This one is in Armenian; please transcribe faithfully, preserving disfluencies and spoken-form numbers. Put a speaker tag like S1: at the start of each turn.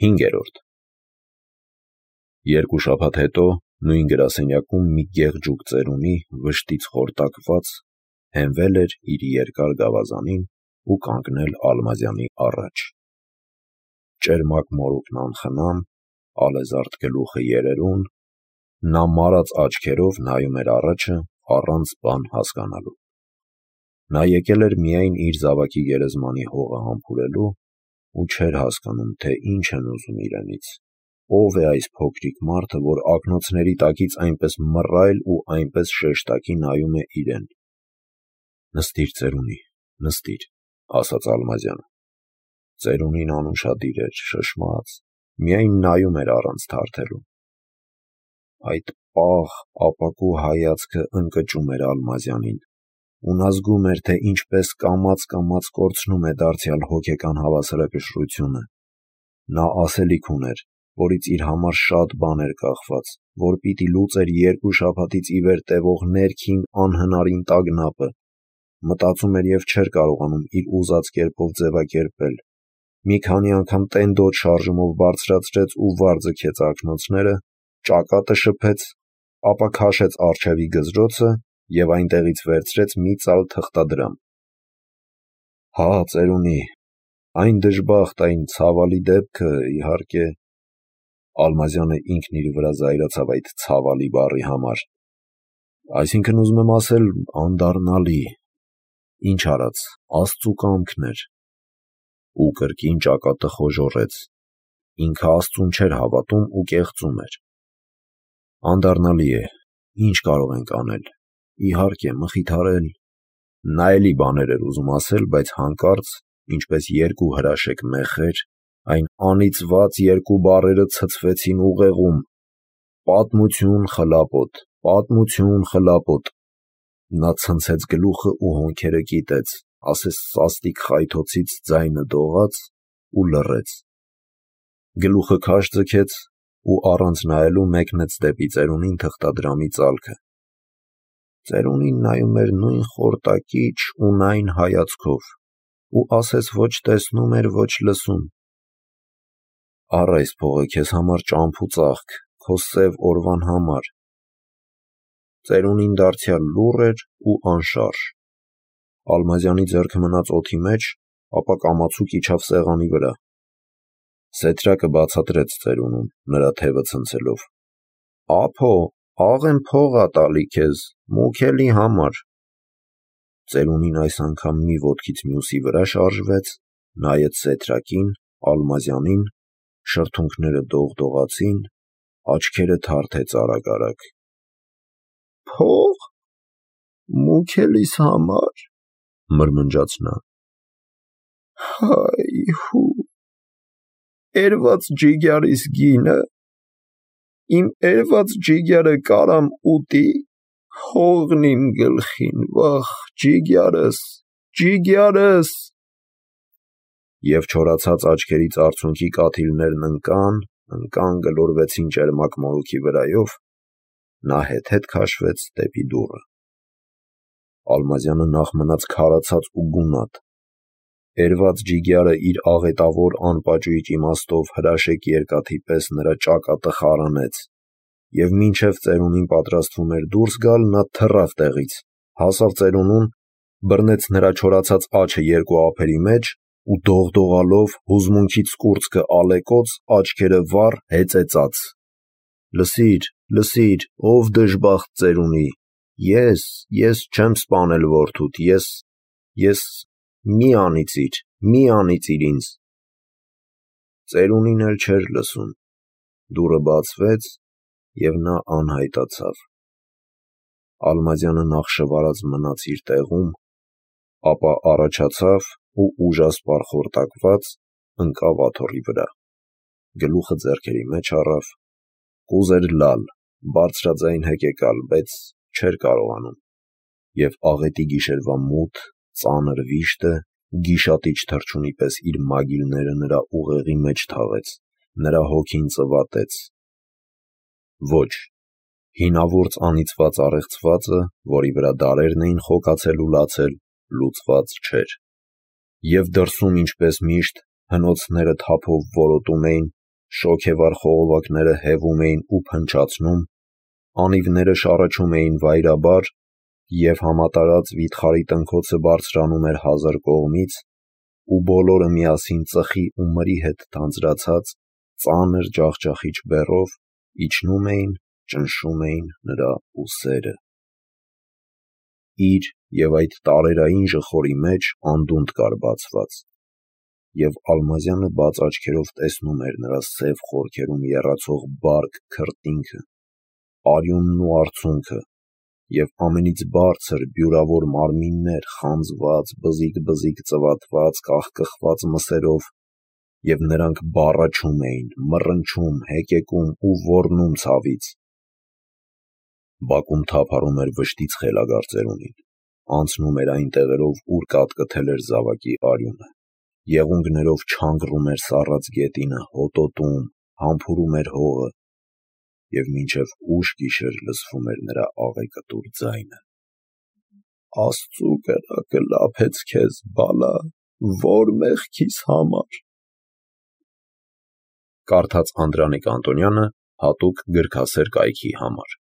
S1: Հինգերորդ Երկու շաբաթ հետո նույն գրասենյակում մի գեղջուկ ծերունի, վշտից խորտակված, հենվել էր իր երկար գավազանին ու կանգնել Ալմազյանի առաջ: Ճերմակ մորուքն անխնամ, ալեզարդ գլուխը երերուն, նա մարած աչքերով նայում էր առաջը առանց բան հասկանալու: Նա եկել էր միայն իր զավակի գերեզմանի հողը համբուրելու ու չէր հասկանում, թե ինչ են ուզում իրենից, ով է այս փոքրիկ մարդը, որ ակնոցների տակից այնպես մռայլ ու այնպես շեշտակի նայում է իրեն: «Նստիր, ծերունի, նստիր», ասաց Ալմազյանը: Ծերունին անուշադիր էր, շշմած, միայն նայում էր առանց թարթելու: Այդ պաղ, ապակու հայացքը ընկճում էր Ալմազյանին ու նա զգում էր, թե ինչպես կամաց-կամաց կորցնում է դարձյալ հոգեկան հավասարակշռությունը: Նա ասելիք ուներ, որից իր համար շատ բան էր կախված, որ պիտի լուծեր երկու շաբաթից ի վեր տևող ներքին անհնարին տագնապը: Մտածում էր և չէր կարողանում իր ուզած կերպով ձևակերպել: Մի քանի անգամ տենդոտ շարժումով բարձրացրեց ու վար ձգեց ակնոցները, ճակատը շփեց, ապա քաշեց առջևի գզրոցը և այնտեղից վերցրեց մի ծալ թղթադրամ: «Հա, ծերունի, այն դժբախտ, այն ցավալի դեպքը, իհարկե…» Ալմազյանը ինքն իր վրա զայրացավ այդ «ցավալի» բառի համար: «Այսինքն, ուզում եմ ասել, անդառնալի… Ինչ արած, Աստծու կամքն էր»: Ու կրկին ճակատը խոժոռեց: Ինքը Աստծուն չէր հավատում ու կեղծում էր: «Անդառնալի է, ինչ կարող ենք անել, իհարկե, մխիթարել…» Նա էլի բաներ էր ուզում ասել, բայց հանկարծ, ինչպես երկու հրաշեկ մեխեր, այն անիծված երկու բառերը ցցվեցին ուղեղում: «Պատմություն խլապոտ, պատմություն խլապոտ»: Նա ցնցեց գլուխը ու հոնքերը կիտեց, ասես սաստիկ խայթոցից ձայնը դողաց ու լռեց: Գլուխը քաշ ձգեց ու առանց նայելու մեկնեց դեպի ծերունին թղթադրամի ծալքը: Ծերունին նայում էր նույն խորտակիչ, ունայն հայացքով ու ասես ոչ տեսնում էր, ոչ լսում: «Առ այս փողը քեզ համար ճամփ ու ծաղկ, քո սև օրվան համար»: Ծերունին դարձյալ լուռ էր ու անշարժ: Ալմազյանի ձեռքը մնաց օդի մեջ, ապա կամացուկ իջավ սեղանի վրա: Սեթրակը բացատրեց ծերունուն, նրա թևը ցնցելով: «Ափո, աղ եմ փող ա տալի քեզ, մուքելի համար»: Ծերունին այս անգամ մի ոտքից մյուսի վրա շարժվեց, նայեց Սեթրակին, Ալմազյանին, շրթունքները դողդողացին, աչքերը թարթեց արագ-արագ: «Փո՞ղ… մուքելիս համար… մրմնջաց նա: Հայ…հու… էրված ջիգյարիս գինը… իմ էրված ջիգյարը կարամ ուտի… հողն իմ գլխին… վա՜խ, ջիգյարս… ջիգյարս…» Եվ չորացած աչքերից արցունքի կաթիլներն ընկան, ընկան, գլորվեցին ճերմակ մորուքի վրայով: Նա հետ-հետ քաշվեց դեպի դուռը: Ալմազյանը նախ մնաց քարացած ու գունատ: Էրված ջիգյարը իր աղետավոր անպաճույճ իմաստով հրաշեկ երկաթի պես նրա ճակատը խարանեց: Եվ մինչև ծերունին պատրաստվում էր դուրս գալ, նա թռավ տեղից, հասավ ծերունուն, բռնեց նրա չորացած աջը երկու ափերի մեջ ու դողդողալով, հուզմունքից կուրծքը ալեկոծ, աչքերը վառ, հեծեծաց: «Լսիր, լսիր, ով դժբախտ ծերունի, ես… ես չեմ սպանել որդուդ, ես… ես… մի անիծիր, մի անիծիր ինձ»: Ծերունին էլ չէր լսում: Դուռը բացվեց և նա անհայտացավ: Ալմազյանը նախշվարած մնաց իր տեղում, ապա առաջացավ ու ուժասպառ խորտակված, ընկավ աթոռի վրա: Գլուխը ձեռքերի մեջ առավ, կուզեր լալ, բարձրաձայն հեկեկալ, բայց չէր կարողանում: Եվ աղետի գիշերվա մութ, ծանր վիշտը գիշատիչ թռչունի պես իր մագիլները նրա ուղեղի մեջ թաղեց, նրա հոգին ծվատեց: Ոչ, հինավուրց անիծված առեղծվածը, որի վրա դարերն էին խոկացել ու լացել, լուծված չէր: Եվ դրսում ինչպես միշտ, հնոցները թափով որոտում էին, շոգևառ խողովակները հևում էին ու փնչացնում, անիվները շառաչում էին վայրաբար, և համատարած վիթխարի տնքոցը բարձրանում էր հազար կողմից, ու բոլորը միասին ծխի ու մրի հետ թանձրացած, ծանր ջախջախիչ բեռով իջնում էին, ճնշում էին նրա ուսերը։ Իր և այդ տարերային ժխորի մեջ անդունդ կար բացված, և Ալմազյանը բաց աչքերով տեսնում էր նրա սև խորքերում եռացող բարակ քրտինքը, արյունն ու արցունքը, և ամենից բարձր բյուրավոր մարմիններ խանձված, բզիկ-բզիկ ծվատված, կախկխված մսերով, և նրանք բառաչում էին, մռնչում, հեկեկում ու ոռնում ցավից։ Բակում թափառում էր վշտից խելագար ծերունին, անցնում էր այն տեղերով, ուր կատկթել էր զավակի արյունը, եղունգներով չանգռում էր սառած գետինը, հոտոտում, համբուրում էր հողը, և մինչև ուշ գիշեր լսվում էր նրա աղեկտուր ձայնը. «Աստծու կրակը լափեց քեզ, բալա, ո՞ր մեղքիս համար»։ Կարդաց Անդրանիկ Անտոնյանը հատուկ գրքասեր կայքի համար։